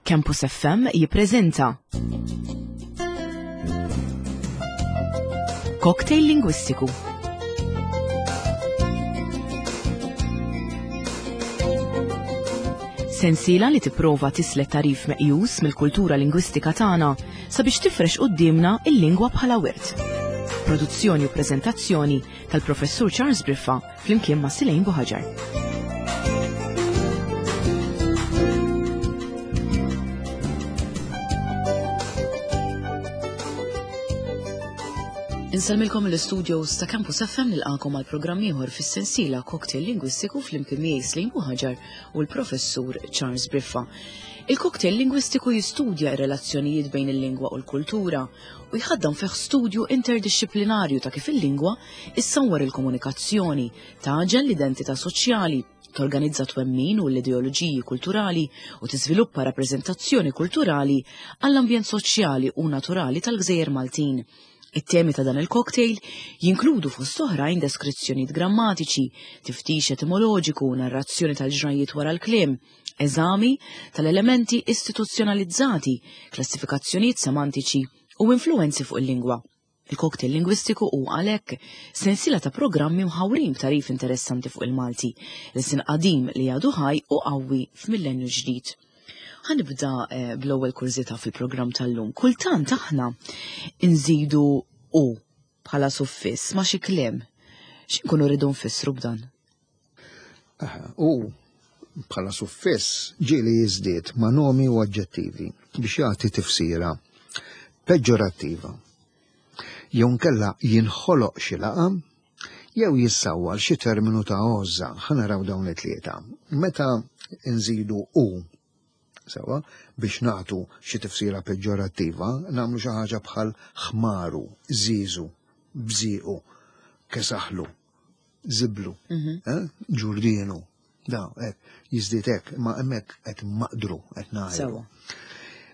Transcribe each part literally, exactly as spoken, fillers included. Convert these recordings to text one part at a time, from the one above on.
Campus F M jippreżenta Cocktail Lingwistiku. Sensiela li tipprova tislet tarif meqjus mill-kultura lingwistika tagħna sabiex tifrex quddiemna il-lingwa bħala wirt. Produzzjoni u preżentazzjoni tal-Professur Charles Briffa flimkien ma' Silejn Buħaġar. Insellmilkom l-istudios ta' Campus F M nilqakom għal programm ieħor fis-sensiela Cocktail Lingwistiku flimkien miegħi Silejn Buħaġar u l-Professur Charles Briffa. Il-cocktail lingwistiku jistudja r-relazzjonijiet bejn il-lingwa u l-kultura u jħaddam fih studju interdixxiplinarju ta' kif il-lingwa issawwar il-komunikazzjoni, taġel l-identità soċjali, torganizza twemmin u l-ideoloġiji kulturali u tiżviluppa rappreżentazzjoni kulturali għall-ambjent soċjali u naturali tal-Gżejjer Maltin. It-temi ta' dan il-cocktail jinkludu fost oħrajn deskrizzjonijiet grammatiċi, tiftix etimoloġiku, narrazzjoni tal-ġrajiet wara l-kliem, eżami tal-elementi istituzzjonalizzati, klassifikazzjonijiet semantiċi u influenzi fuq il-lingwa. Il-cocktail lingwistiku hu għalhekk sensiela ta' programmi mħawrin b'tarif interessanti fuq il-Malti, l-sin qadim li għadu ħaj u qawwi f'millenju ġdid. Ħanibda, eh, bl-ewwel kurżità fil-programm tal-lum. Kultant aħna nżidu u bħala suffiss ma' xi kliem. X'inkunu rridu nfissru b'dan? Aha, u bħala suffiss ġieli jiżdied ma' nomi u aġġettivi biex jagħti tifsira peġġorattiva. Jew nkella jinħoloq xi laqam jew jissawwar xi terminu ta' għożża. Ħa naraw dawn it-tlieta. Meta nżidu u sewa biex nagħtu xi tifsira peġġorattiva, nagħmlu xi ħaġa bħal ħmaru, żiżu, bżiequ, kesaħlu, żiblu, Mhm. eh, ġurdienu. Da, hekk, jiżdied hekk, ma hemmhekk qed maqdru, qed ngħidu. Sewa.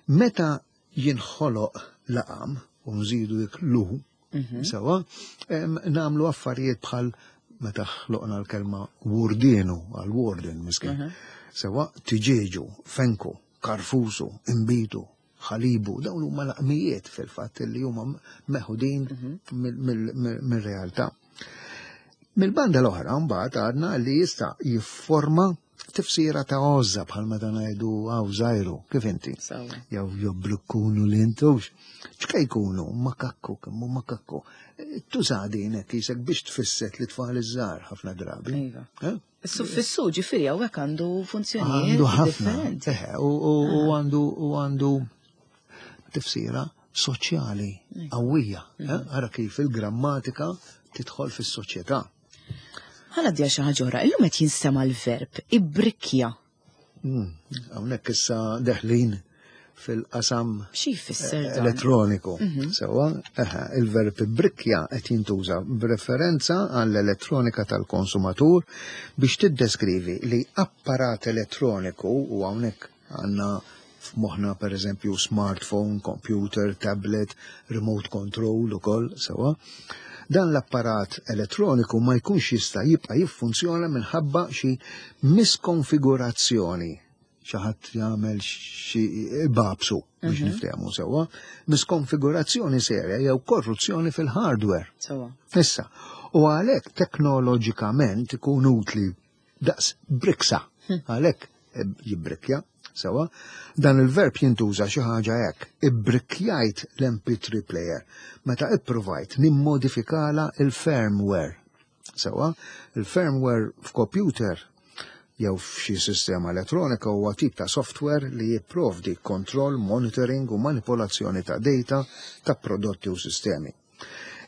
Meta jinħoloq laqam u nżidu dik lu, Mhm. sewa, em, nagħmlu affarijiet bħal meta ħloqna l-kelma wurdienu għal warden miskin. Mhm. Sewa, tiġieġu, fenku, karfusu, imbitu, ħalibu, dawn huma laqmijiet fil-fatt li huma meħudin Mhm. mill-, mill-, mill-, mir-realtà. Mill-banda l-oħra mbagħad għadna li jista' jifforma tifsira ta' għożża bħal meta ngħidu għaw żajru, kif inti? Sewa. Jew jobblukkunu li intux. X'kej jkunu? Makakku, kemm hu makakku. Tuża din hekk isek biex tfisset li tfal iż-żgħar ħafna drabi. Iva. Eh? Is-suffissu ġifieri hawnhekk għandu funzjonijiet Għandu ħafna. differenti. Eħe, u, u, u Ah. għandu, u għandu tifsira soċjali Iva. qawwija. Mhm. Eh? Ara kif il-grammatika tidħol fis-soċjetà. Ħa ngħaddi għal xi ħaġa oħra, illum qed jinstema' l-verb ibbrikkja. Mm, hawnhekk issa deħlin fil-qasam Xi jfisser dan? elettroniku. Mhm. Sewa, eħe, il-verb ibbrikkja qed jintuża b'referenza għall-elettronika tal-konsumatur biex tiddeskrivi li apparat elettroniku, u hawnhekk għandna f'moħħna per eżempju smartphone, computer, tablet, remote control ukoll, sewa. Dan l-apparat elettroniku ma jkunx jista' jibqa' jiffunzjona minħabba xi miskonfigurazzjoni. Xi ħadd jagħmel xi babsu biex Mhm. niftehmu sewwa, miskonfigurazzjoni serja jew korruzzjoni fil-hardware. Sewwa. Issa, u għalhekk teknoloġikament ikun utli daqs briksa. Hm. Għalhekk jibbrikkja, sewwa, dan il-verb jintuża xi ħaġa hekk, ibbrikkjajt l-M P three player meta ippruvajt nimmodifikala il-firmware. Sewwa, il-firmware f'computer jew f'xi sistema elettronika huwa tip ta' software li jipprovdi kontroll, monitoring u manipolazzjoni ta' data ta' prodotti u sistemi.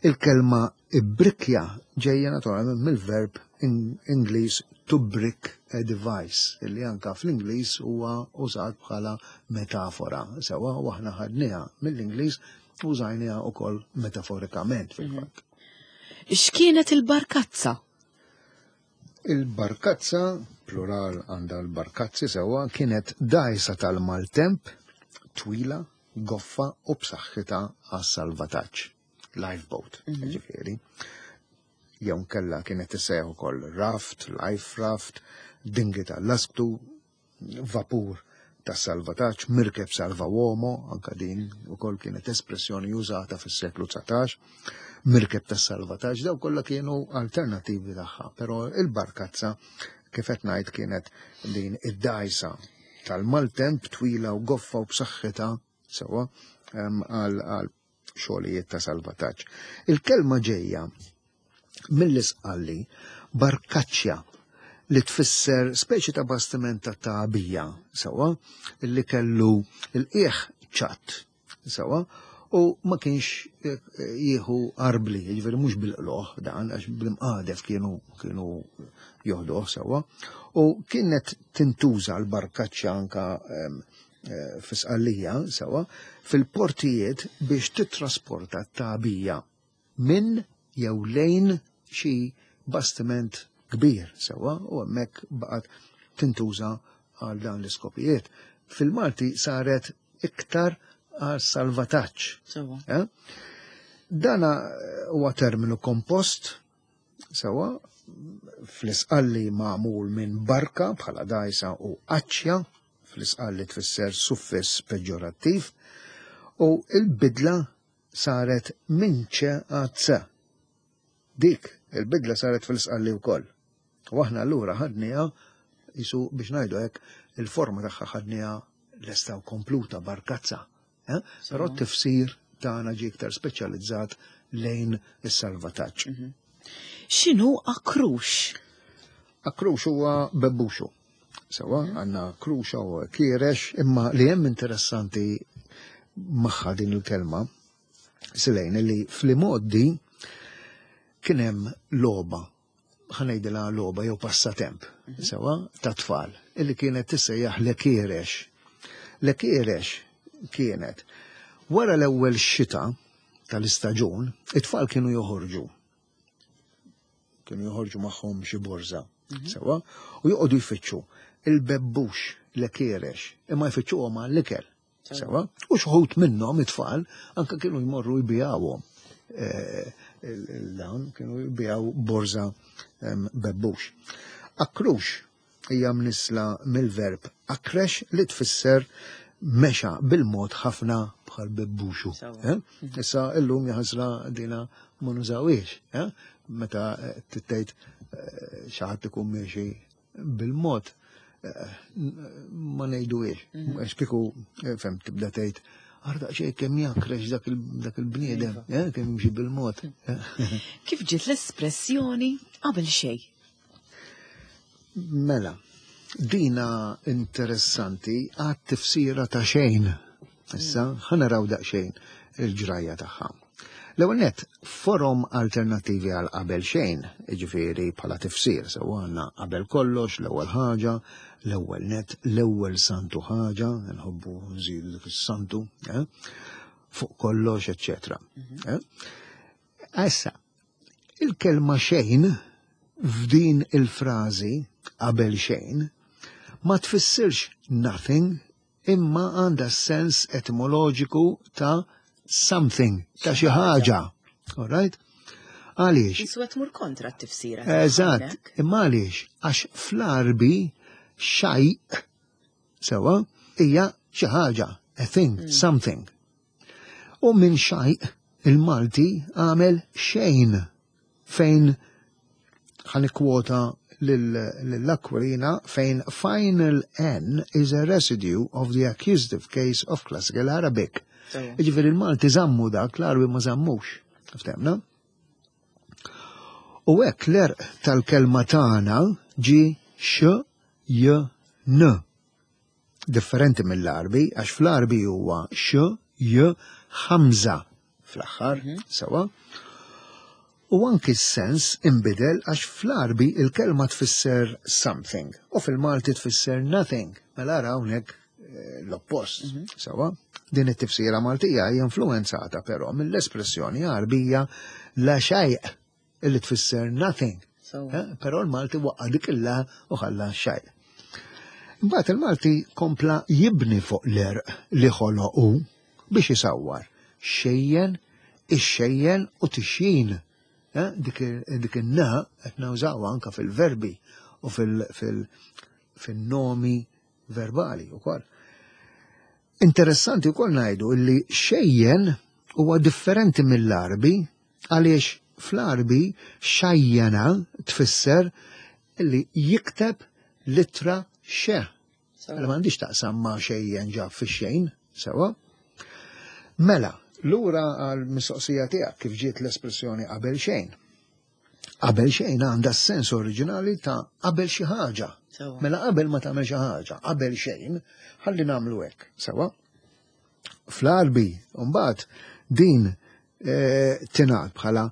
Il-kelma ibbrikkja ġejja naturalment mill-verb in-, Ingliż to brick a device, illi anka fl-Ingliż huwa użat bħala metafora. Sewwa, u aħna ħadniha mill-Ingliż użajniha wkoll metaforikament fil-fatt. Mhm. X'kienet il-barkazza? Il-barkazza, plural għandha l-barkazzi sewwa, kienet dgħajsa tal-maltemp, twila, goffa u b'saħħitha għas-salvataġġ. Lifeboat, Mhm. ġifieri. Jew nkella kienet tissejjaħ ukoll raft, life raft, dingi tal-lasktu, vapur tas-salvataġġ, mirkeb salva uomo, anka din ukoll kienet espressjoni użata fis-seklu dsatax, mirkeb tas-salvataġġ, daw kollha kienu alternattivi tagħha, però il-barkazza kif qed ngħid kienet din id-dgħajsa tal-maltemp twila u goffa u b'saħħitha sewwa għal għal xogħlijiet ta' salvataġġ. Il-kelma ġejja mill-Isqalli barkaċċja, li tfisser speċi ta' bastiment ta' tagħbija, sewwa, li kellu l-qiegħ ċatt, sewwa, u ma kienx eh, jieħu arbli, jiġifieri mhux bil-qloħ dan, għax bil-mqadef kienu kienu joħduh sewwa, u kienet tintuża l-barkaċċja anka em, eh, fis-Sqallija, sewwa, fil-portijiet biex titrasporta t-tagħbija minn jew lejn xi bastiment kbir, sewwa, u hemmhekk baqgħet tintuża għal dan l-iskopijiet. Fil-Malti saret iktar għal salvataġġ. Sewwa. Eh? Dana huwa terminu kompost, sewwa, fl-Isqalli magħmul minn barka bħala dgħajsa u aċċja, fl-Isqalli tfisser suffiss peġġorattiv, u il-bidla saret minn ċe għal c. Dik il-bidla saret fil-Isqalli wkoll. U aħna allura ħadniha jisu biex ngħidu hekk il-forma tagħha ħadniha lesta u kompluta barkazza. Eh? Però t-tifsir tagħna ġie iktar speċjalizzat lejn is-salvataġġ. X'inhu akrux? Akrux huwa bebbuxu. Sewwa, għandna kruxa u kierex, imma li hemm interessanti magħha din il-kelma, Silejn, li fl-imgħoddi kien hemm logħba, ħa ngħidilha logħba jew passatemp, sewwa, ta' tfal, illi kienet tissejjaħ l-kierex. L-kierex kienet wara l-ewwel xita tal-istaġun, it-tfal kienu joħorġu. Kienu joħorġu magħhom xi borża, sewwa, u joqogħdu jfittxu il-bebbux l-kierex, imma jfittxuhom għall-ikel. Sewwa, u xi wħud minnhom it-tfal anka kienu jmorru jbigħuhom. Eh, il-dawn kienu jbigħu borża em, bebbux. Akrux hija mnisla mill-verb akrex li tfisser mexa bil-mod ħafna bħal bebbuxu. Sewwa. Eh? Issa illum jaħasra dina ma nużawhiex. Eh? Meta eh, tittejt eh, xi ħadd ikun miexi bil-mod eh, ma ngħiduhiex. Għax kieku eh, fem tibda tgħid Arda xejn kemm jakrex dak il- dak il-bniedem, eh, kemm jimxi bil-mod. Kif ġiet l-espressjoni qabel xejn? Mela, dina interessanti għat tifsira ta' xejn. Issa, ħa naraw daqsxejn il-ġrajja tagħha. L-ewwel nett, forom alternattivi għal qabel xejn, jiġifieri bħala tifsir, sew għandna qabel kollox, l-ewwel ħaġa, l-ewwel net, l-ewwel santu ħaġa, nħobbu nżidu dik is-santu, eh? Fuq kollox, eċċetera. Eh? Issa, il-kelma xejn f'din il-frażi qabel xejn ma tfissirx nothing imma għandha sens etimoloġiku ta' something, ta' xi ħaġa. All right? Għaliex? Jisu qed tmur kontra t-tifsira. Eżatt, imma għaliex? Għax fl-Arbi xaj sewwa hija xi ħaġa, a thing, something. U minn xaj il-Malti għamel xejn fejn ħa nikkwota l-Aquilina fejn final N is a residue of the accusative case of classical Arabic. Jiġifieri il-Malti żammu dak, l-Arbi ma żammux. Ftemna? U hekk l-għerq tal-kelma tagħna ġi x, j, n. Differenti mill-Arbi, għax fl-Arbi huwa x, j, ħamża fl-aħħar, sewwa. U anki s-sens imbidel għax fl-Arbi il-kelma tfisser something u fil-Malti tfisser nothing. Mela ara hawnhekk eh, l-oppost. Sewwa, din it-tifsira Maltija hija influenzata però mill-espressjoni Arbija la xejn illi tfisser nothing. Sewwa. Eh, Però l-Malti waqqa dik il-la u ħalla xejn. Imbagħad il-Malti kompla jibni fuq l-għerq li ħoloqu biex isawwar xejjen, ixxejjen u tixjin. Eh, Dik il- dik in-na qed nużawha anka fil-verbi u fil- fil- fil-nomi verbali wkoll. Interessanti wkoll ngħidu li xejjen huwa differenti mill-Arbi, għaliex fl-Arbi xajjana tfisser li jikteb litra xe. Mela m'għandix taqsam ma' xejjen ġab fix-xejn, sewa. Mela, lura għal mistoqsija tiegħek kif ġiet l-espressjoni qabel xejn. Qabel xejn għandha s-sens oriġinali ta' qabel xi ħaġa. Mela qabel ma tagħmel xi ħaġa, qabel xejn, ħalli nagħmlu hekk, sewa. Fl-Arbi, mbagħad din eh, tingħad bħala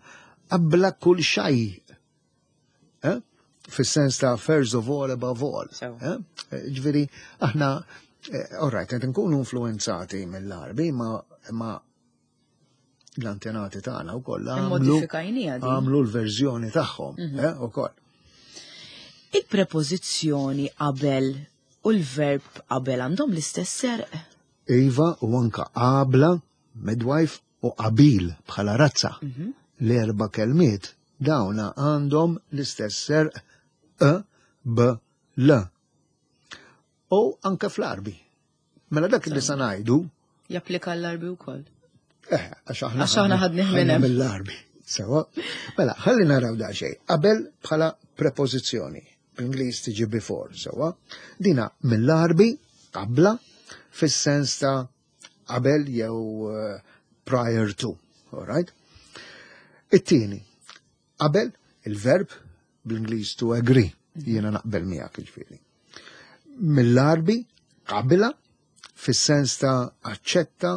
qabla kull xej. Eh? Fis-sens ta' first of all, above all. Eh? Ġifieri, aħna, all right, qed nkunu influenzati mill-Arbi, ma, ma l-antenati tagħna wkoll għamlu l-verżjoni tagħhom, mhm. eh, ukoll. Il-prepożizzjoni qabel u l-verb qabel għandhom l-istess serq? Iva, u anka qabla, midwife, u qabil bħala razza. Mhm. L-erba kelmiet dawna għandhom l-istess serq E, B, L. U anka fl-Arbi. Mela dak li sa ngħidu. Japplika l-Arbi wkoll. Eh, għax aħna għax aħna ħadnih minn hemm. Mill-Arbi. Sewa. Mela, ħalli naraw da xejn. Qabel bħala prepożizzjoni. Bl-Ingliż tiġi before, sewa. Dina mill-Arbi qabla fis-sens ta' qabel jew eh, prior to, all right? It-tieni, qabel il-verb bl-Ingliż to agree, jiena naqbel miegħek ġifieri. Mill-Arbi qabila fis-sens ta' aċċetta,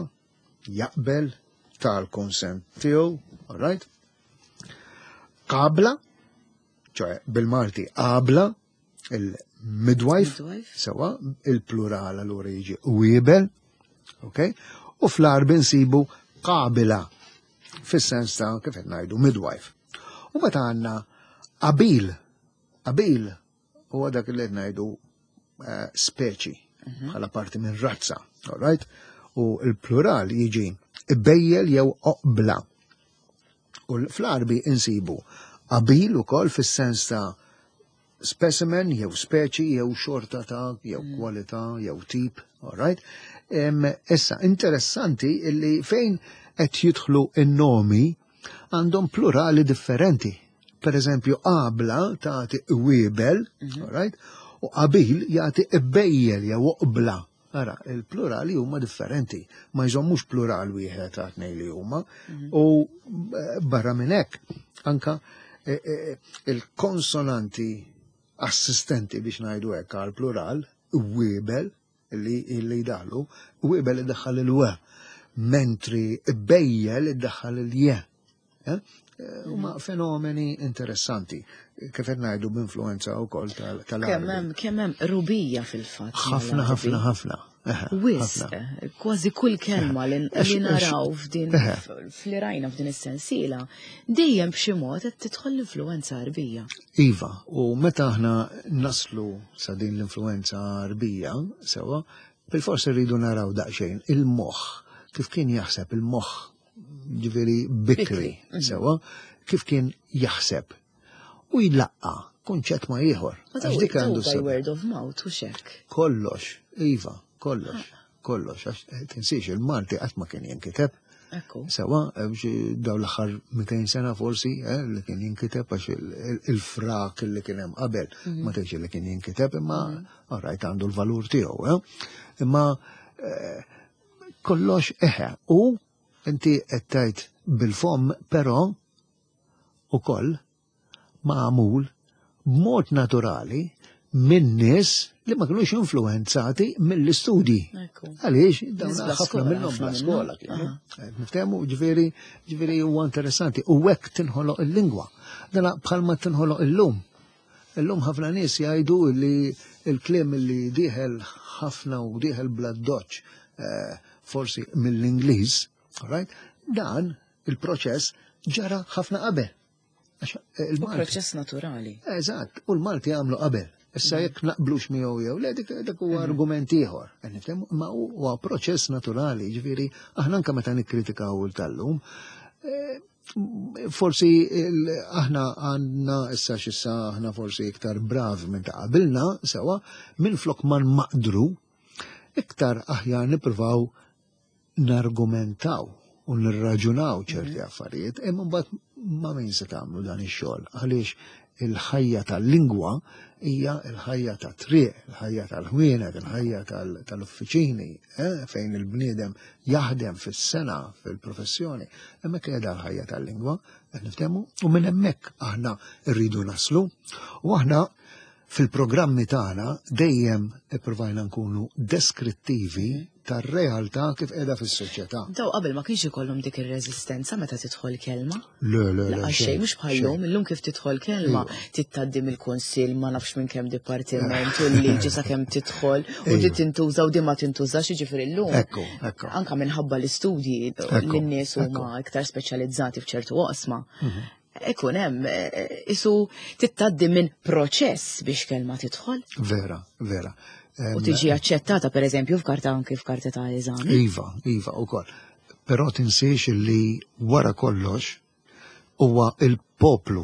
jaqbel, tal-konsent tiegħu, all right? Qabla, ċoè bil-Malti qabla, il-midwife, sewa, il-plural allura jiġi wiebel, ok? U fl-Arbi nsibu qabila, fis-sens ta' kif qed ngħidu midwife. U meta għandna qabil, qabil huwa dak li qed ngħidu eh, speċi mhm. bħala parti minn razza, all right? U l-plural jiġi bejjel jew oqbla. U fl-Arbi insibu qabil ukoll fis-sens ta' specimen jew speċi jew xorta ta' jew mm. kwalità jew tip, all right? Issa, interessanti illi fejn qed jidħlu in-nomi għandhom plurali differenti. Per eżempju, qabla tagħti wiebel, mm -hmm. right? U qabil jagħti bejjel jew oqbla. Ara, il-plurali huma differenti, ma jżommux plural wieħed ta' tnejn li huma. Mhm. U eh, barra minn hekk, anka eh, eh, il-konsonanti assistenti biex ngħidu hekk għal plural, wiebel, li li daħlu, wiebel iddaħħal il-w, mentri bejjel iddaħħal il-je. Huma fenomeni interessanti, kif qed ngħidu b'influenza wkoll tal Kemm hemm kemm hemm rubija fil-fatt. Ħafna, ħafna, ħafna. Wisq, kważi kull kelma li naraw f'din fli rajna f'din is-sensiela, dejjem b'xi mod qed tidħol l-influenza Arbija. Iva, u meta aħna naslu sa din l-influenza Arbija, sewa, bil-forsi rridu naraw daqsxejn il-moħħ, kif kien jaħseb il-moħħ, ġifieri bikri, mhm. sewa, kif kien jaħseb u jlaqqa kunċett ma ieħor. Għax dik għandu by word of mouth u xek. Kollox, iva, kollox, kollox, għax eh, tinsiex il-Malti qatt ma kien jinkiteb. Sewa, eh, daw l-aħħar mitejn sena forsi, eh, li kien jinkiteb għax il-frak li kien hemm qabel mhm. ma tgħidx li kien jinkiteb imma mhm. alright għandu l-valur tiegħu. Imma kollox eħe u inti qed tgħid bil-fom però ukoll magħmul b'mod naturali minn nies li ma kienux influenzati mill-istudji. Għaliex, dawn ħafna minnhom bla skola kienu. Niftehmu, ġifieri, ġifieri huwa interessanti. U hekk tinħoloq il-lingwa. Dana bħalma tinħoloq illum. Illum ħafna nies jgħidu li l-kliem li dieħel ħafna u dieħel bla doċ eh, forsi mill-Ingliż, right? Dan il-proċess ġara ħafna qabel. Eh, proċess naturali. Eżatt, u l-Malti għamlu qabel. Issa mm. jekk naqblux miegħu jew le dik dak huwa mm. argument ieħor. Ma huwa proċess naturali, ġifieri aħna anke meta nikkritikaw il tal-lum, eh, forsi aħna għandna issa x'issa aħna forsi iktar bravi minn ta' qabilna sewa, minn flok ma nmaqdru, Iktar aħjar nippruvaw nargumentaw u nirraġunaw ċerti mhm. affarijiet, imma mbagħad ma' min se tagħmlu dan ix-xogħol? Għaliex il-ħajja tal-lingwa hija l-ħajja ta' triq, il-ħajja tal-ħwienet, il-ħajja tal-uffiċini, eh, fejn il-bniedem jaħdem fis-sena, fil-professjoni. Hemmhekk qiegħda l-ħajja tal-lingwa, qed niftehmu, u minn hemmhekk aħna rridu naslu. U aħna fil-programmi tagħna dejjem ippruvajna nkunu deskrittivi tar-realtà kif qiegħda fis-soċjetà. Daw qabel ma kienx ikollhom dik ir-reżistenza meta tidħol kelma? Le, le, le. Xejn, mhux bħallum, illum kif tidħol kelma iva. Tgħaddi mill-kunsill, ma nafx minn kemm dipartiment u l-liġi sakemm tidħol u di tintuża u di ma tintużax, jiġifieri llum. Ekku, ekku. Anka minħabba l-istudji li n-nies huma iktar speċjalizzati f'ċertu oqsma. Mhm. Ikun hemm eh, isu tgħaddi minn proċess biex kelma tidħol. Vera, vera. U tiġi aċċettata per eżempju f'karta, anki f'karta ta' eżami. Iva, iva, ukoll. Però tinsiex li wara kollox huwa il-poplu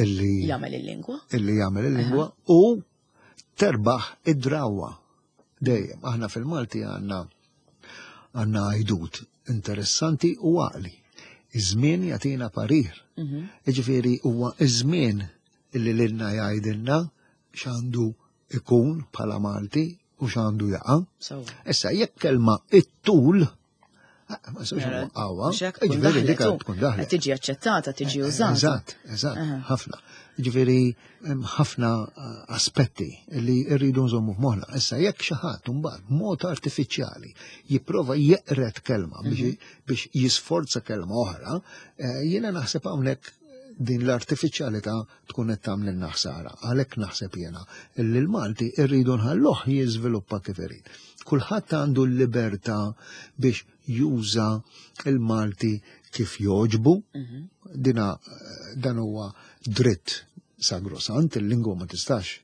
illi jagħmel il-lingwa. Illi jagħmel il-lingwa u terbaħ id-drawa. Dejjem, aħna fil-Malti għandna għandna għajdut interessanti u għaqli. Iż-żmien jagħtina parir. Mhm. Jiġifieri huwa iż-żmien illi lilna jgħidilna x'għandu ikun bħala Malti u x'għandu jaqa'. Issa jekk kelma it-tul ma sewx qawwa, ġifieri dik tkun daħlet. Tiġi aċċettata, tiġi eh, użata. Eżatt, eżatt, ħafna. Ġifieri hemm ħafna eh, aspetti li rridu nżommu f'moħħna. Issa jekk xi ħadd imbagħad b'mod artifiċjali jipprova jeqret kelma biex mhm. biex jisforza kelma oħra, eh, jiena naħseb hawnhekk din l-artifiċjalità tkun qed tagħmlilna ħsara. Għalhekk naħseb jiena li l-Malti rridu nħalluh jiżviluppa kif irid. Kulħadd għandu l-libertà biex juża il-Malti kif jogħġbu. Mhm. Dina dan huwa dritt sagrosant, il-lingwa ma tistax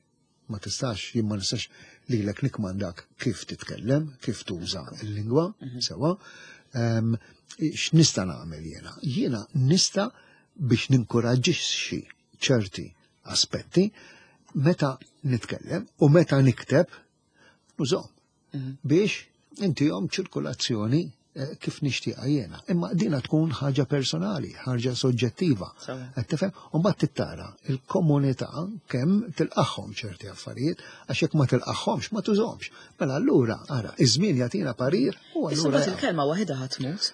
ma tistax, jien ma nistax lilek nikmandak kif titkellem, kif tuża l-lingwa, mhm. sewa. X'nista' nagħmel jiena? Jiena nista' biex ninkoraġġixxi ċerti aspetti meta nitkellem u meta nikteb nużhom mhm. biex intihom ċirkolazzjoni eh, kif nixtieqha jiena. Imma dina tkun ħaġa personali, ħaġa soġġettiva. Qed tifhem? U mbagħad tittara il-komunità kemm tilqagħhom ċerti affarijiet, għax jekk ma tilqagħhomx ma tużhomx. Mela allura ara, iż-żmien jagħtina parir u allura. Issa il-kelma waħedha ħa tmut.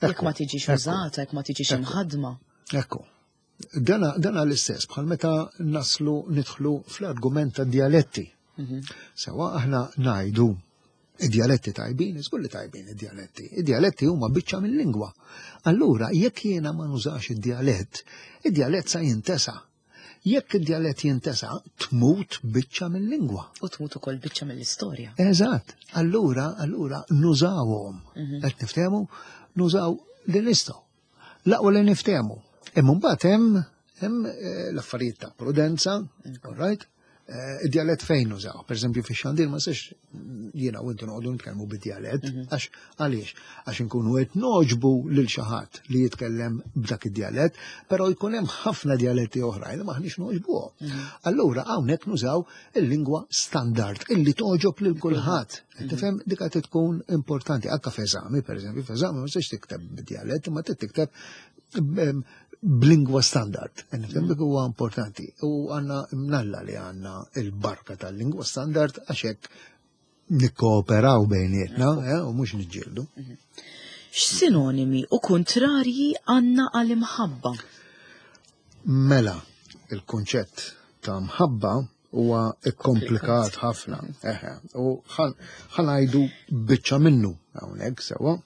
Jekk ma tiġix użata, jekk ma tiġix imħadma. Ekku. Dana, dana l-istess bħal meta naslu nidħlu fl-argument ta' dialetti. Mhm. Sewa aħna ngħidu id-dialetti tajbin, iżgur li tajbin id-dialetti. Id-dialetti huma biċċa mill-lingwa. Allura, jekk jiena ma nużax id-dialett, id-dialett sa jintesa. Jekk id-dialett jintesa, tmut biċċa mill-lingwa. U tmut ukoll biċċa mill-istorja. Eżatt. Allura, allura nużawhom. Mhm. Qed niftehmu, nużaw li nistgħu. L-aqwa li niftehmu. Imma mbagħad hemm hemm eh, l-affarijiet ta' prudenza, all right? Eh, id-dialett fejn nużaw? Per eżempju, fix-xandir ma sex jiena u intu noqogħdu nitkellmu bid-dialett, mhm. għax għaliex? Għax inkunu qed noġbu lil xi ħadd li jitkellem b'dak id-dialett, però jkun hemm ħafna dialetti oħrajn li maħniex noġbuhom. Mhm. Allura hawnhekk nużaw il-lingwa standard illi toġob lil kulħadd. Mhm. Tifhem, dik qed tkun importanti. Anka f'eżami, per eżempju, f'eżami ma sex tikteb bid-dialett, ma tikteb b'lingwa standard. Nifhem dik huwa importanti. U għandna mnalla li għandna il-barka tal-lingwa standard għax hekk nikkooperaw bejnietna eh, u mhux niġġieldu. Mhm. X'sinonimi u kontrarji għandna għal-imħabba? Mela, il-kunċett ta' mħabba huwa ikkomplikat ħafna. Eħe, u ħanajdu biċċa minnu hawnhekk sewwa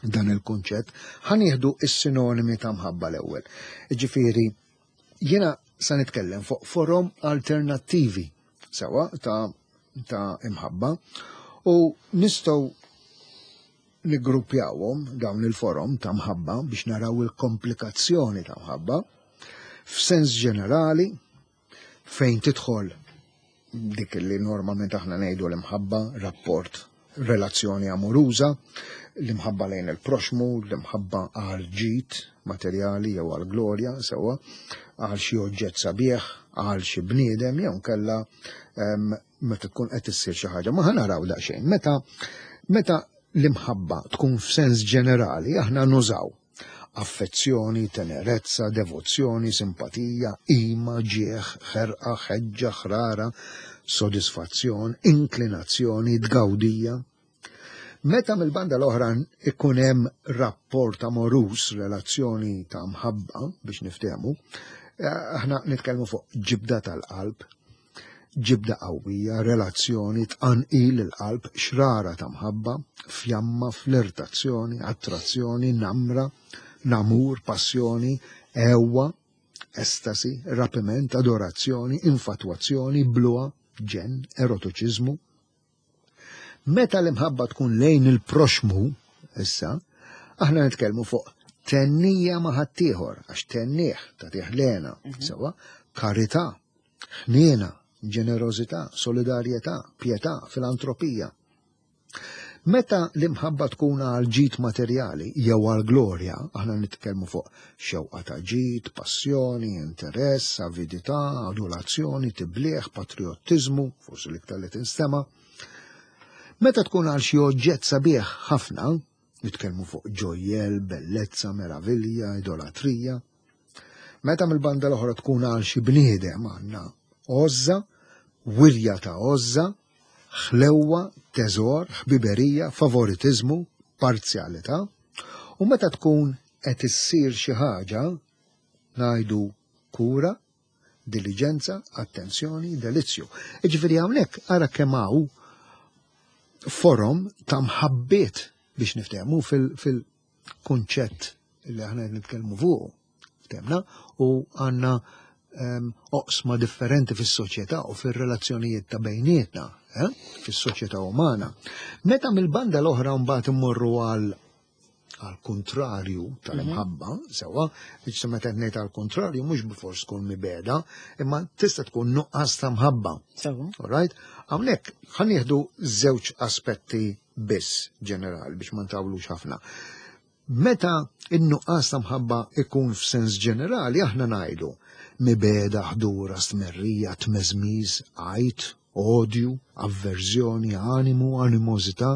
dan il-kunċett. Ħa nieħdu is-sinonimi ta' mħabba l-ewwel. Ġifieri, jiena sa nitkellem fuq forom alternattivi sewa ta' ta' imħabba u nistgħu niggruppjawhom dawn il-forom ta' mħabba biex naraw il-komplikazzjoni ta' mħabba f'sens ġenerali fejn tidħol dik li normalment aħna ngħidu l-imħabba, rapport, relazzjoni amoruża, l-imħabba lejn il-proxmu, l-imħabba għal ġid materjali jew għal glorja, sewwa, għal xi oġġett sabiħ, għal xi bniedem jew kella meta tkun qed issir xi ħaġa, ma ħa naraw daqsxejn. Meta meta l-imħabba tkun f'sens ġenerali, aħna nużaw affezzjoni, tenerezza, devozzjoni, simpatija, ima, ġieħ, ħerqa, ħeġġa, ħrara, sodisfazzjon, inklinazzjoni, tgawdija. Meta mill-banda l-oħra ikun hemm rapport amorus, relazzjoni ta' mħabba biex niftehmu, aħna nitkellmu fuq ġibda tal-qalb, ġibda qawwija, relazzjoni, tqanqil il-qalb, xrara ta' mħabba, fjamma, flirtazzjoni, attrazzjoni, namra, namur, passjoni, ewa, estasi, rapiment, adorazzjoni, infatwazzjoni, bluha, ġenn, erotiċiżmu. Meta l-imħabba tkun lejn il-proxmu, issa, aħna nitkellmu fuq tennija ma' ħaddieħor, għax tennieh tagħtih lena, sewa, karità, ħniena, ġenerożità, solidarjetà, pietà, filantropija. Meta l-imħabba tkun għal ġid materjali jew għal glorja, aħna nitkellmu fuq xewqa ta' ġid, passjoni, interess, avidità, adulazzjoni, tiblieħ, patriottiżmu, forsi l-iktar li tinstema'. Meta tkun għal xi oġġett sabiħ ħafna, nitkellmu fuq ġojjel, bellezza, meravilja, idolatrija. Meta mill-banda l-oħra tkun għal xi bniedem għandna għożża, wirja ta' għożża, ħlewwa, teżor, ħbiberija, favoritiżmu, parzjalità. U meta tkun qed issir xi ħaġa, ngħidu kura, diligenza, attenzjoni, delizzju. Jiġifieri hawnhekk ara kemm hawn forom ta' mħabbiet biex niftehmu fil-kunċett li aħna qed nitkellmu fuqu. Ftehmna u għandna oqsma differenti fis-soċjetà u fir-relazzjonijiet ta' bejnietna, eh, fis-soċjetà umana. Meta mill-banda l-oħra mbagħad immorru għal għal kontrarju tal-imħabba, sewa, biex meta ngħid għal kontrarju mhux bifors tkun mibegħda, imma tista' tkun nuqqas ta' mħabba. Sewa. All right? Hawnhekk ħa nieħdu żewġ aspetti biss ġenerali biex ma ntawlux ħafna. Meta in-nuqqas ta' mħabba ikun f'sens ġenerali, aħna ngħidu mibegħda, ħdura, stmerrija, tmeżmiż, għajt, odju, avverżjoni, animu, animożità,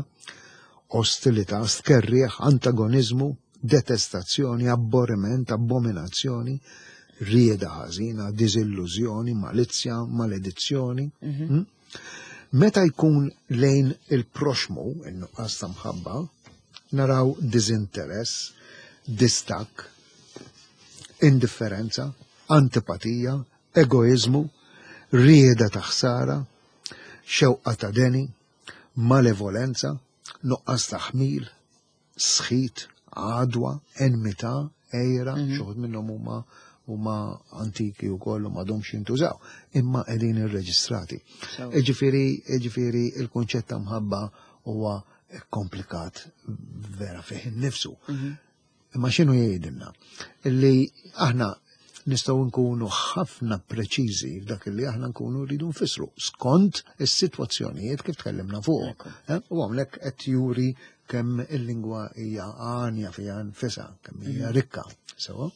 ostilità, stkerrieħ, antagonizmu, detestazzjoni, abborriment, abominazzjoni, rieda ħażina, diżillużjoni, malizzja, maledizzjoni. Mm? Meta jkun lejn il-proxmu, il-nuqqas ta' mħabba, naraw diżinteress, distakk, indifferenza, antipatija, egoizmu, rieda ta' ħsara, xewqa ta' deni, malevolenza, nuqqas ta' ħmil, sħit, għadwa, enmità, għira, xi wħud minnhom huma huma antiki u kollu m'għadhomx jintużaw, imma qegħdin irreġistrati. Sewa. Jiġifieri, jiġifieri il-kunċett ta' mħabba huwa komplikat vera fih innifsu. Imma x'inhu jgħidilna? Illi aħna nistgħu nkunu ħafna preċiżi f'dak li aħna nkunu rridu nfissru skont is-sitwazzjonijiet kif tkellimna fuq. Ekku. Eh? U hawnhekk qed juri kemm il-lingwa hija għanja fiha nfisha, kemm hija rikka. Sewa?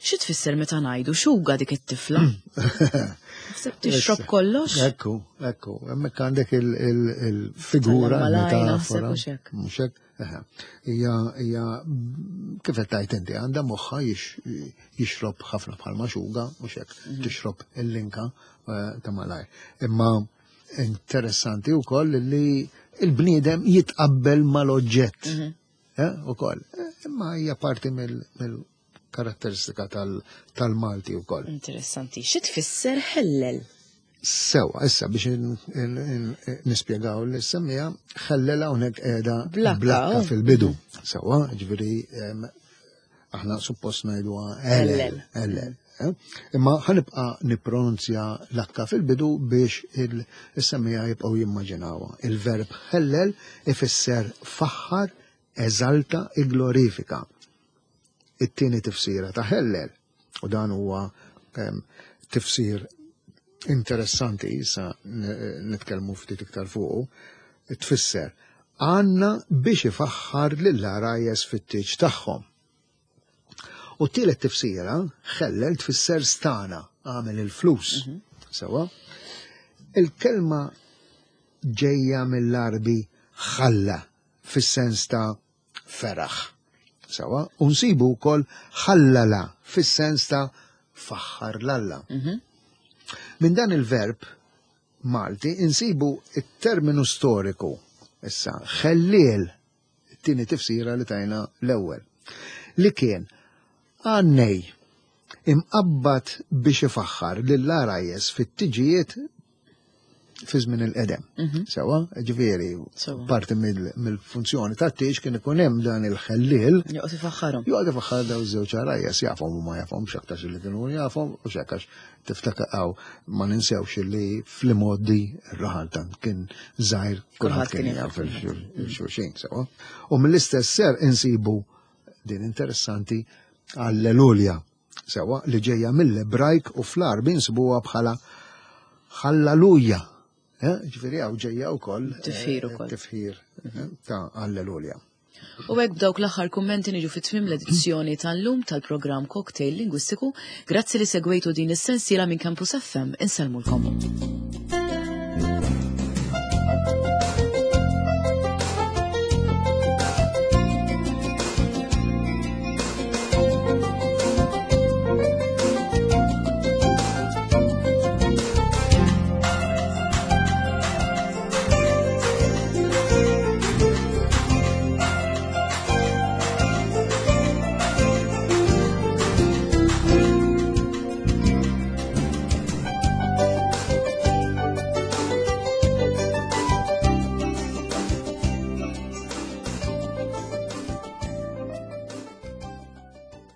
Xi tfisser meta ngħidu xuga dik it-tifla? Naħseb tixrob kollox? Ekku, ekku, hemmhekk għandek il- il- il-figura, Tal-malaj, naħseb il-metafora. u xek. Mhux hekk? Eħe. Hija hija kif qed tgħid inti għandha moħħa jix- jixrob ħafna bħal maxuga, mhux hekk, tixrob il-linka eh, ta' malaj. Imma interessanti wkoll li il-bniedem jitqabbel mal-oġġett. Eh, ukoll. Eh, Imma hija parti mill- mill-karatteristika tal- tal-Malti wkoll. Interessanti. Xi tfisser ħellel? Sewa, issa biex in- in- in- nispjegaw li semmija, ħellela hawnhekk qiegħda Blakka, blakka oh. fil-bidu. Sewa, ġifieri em, aħna suppost ngħiduha ellel, ellel. eh? Imma ħa nibqa' nippronunzja l-akka fil-bidu biex il-semmija jibqgħu jimmaġinawha. Il-verb ħellel ifisser faħħar, eżalta, iglorifika. It-tieni tifsira ta' ħellel, u dan huwa em, tifsir interessanti, issa n- nitkellmu ftit iktar fuqu, tfisser għanna biex ifaħħar lill-għarajjes fit-tieġ tagħhom. U t-tielet tifsira, ħellel tfisser stana, għamel il-flus. Sewa? Il-kelma Ġejja mill-Għarbi ħalla fis-sens ta' feraħ. Sewwa, u nsibu wkoll ħallala fis-sens ta' faħħar 'l Alla. Minn dan il-verb Malti insibu it-terminu storiku, issa, ħelliel, it-tieni tifsira li tajna l-ewwel, li kien għannej imqabbad biex ifaħħar lill-għarajjes fit-tiġijiet fi żmien il-qedem. Sewwa, ġifieri, Sewwa. parti mill- mill-funzjoni tat-tieġ kien ikun hemm dan il-ħelliel Joqgħod ifaħħarhom. Joqgħod ifaħħar daw iż-żewġ għarajjes, jafhom u ma jafhom, x'aktarx li kienu jafhom u x'aktarx tiftakar ma ninsewx li fl-imgħoddi r-raħal tant kien żgħir, kulħadd kien jaf il-xulxin, sewwa. U mill-istess ser insibu din interessanti Alleluja, sewwa, li ġejja mill-Ebrajk u fl-Għarbi insibuha bħala Halleluja. Eh, Ġifieri hawn ġejja wkoll eh, Tifħir ukoll. Tifħir eh, ta' Alleluja. U hekk b'dawk l-aħħar kummenti niġu fit tmiem l-edizzjoni tal-lum tal-programm Cocktail Lingwistiku. Grazzi li segwejtu din is-sensiela minn Campus F M. Insellmulkom.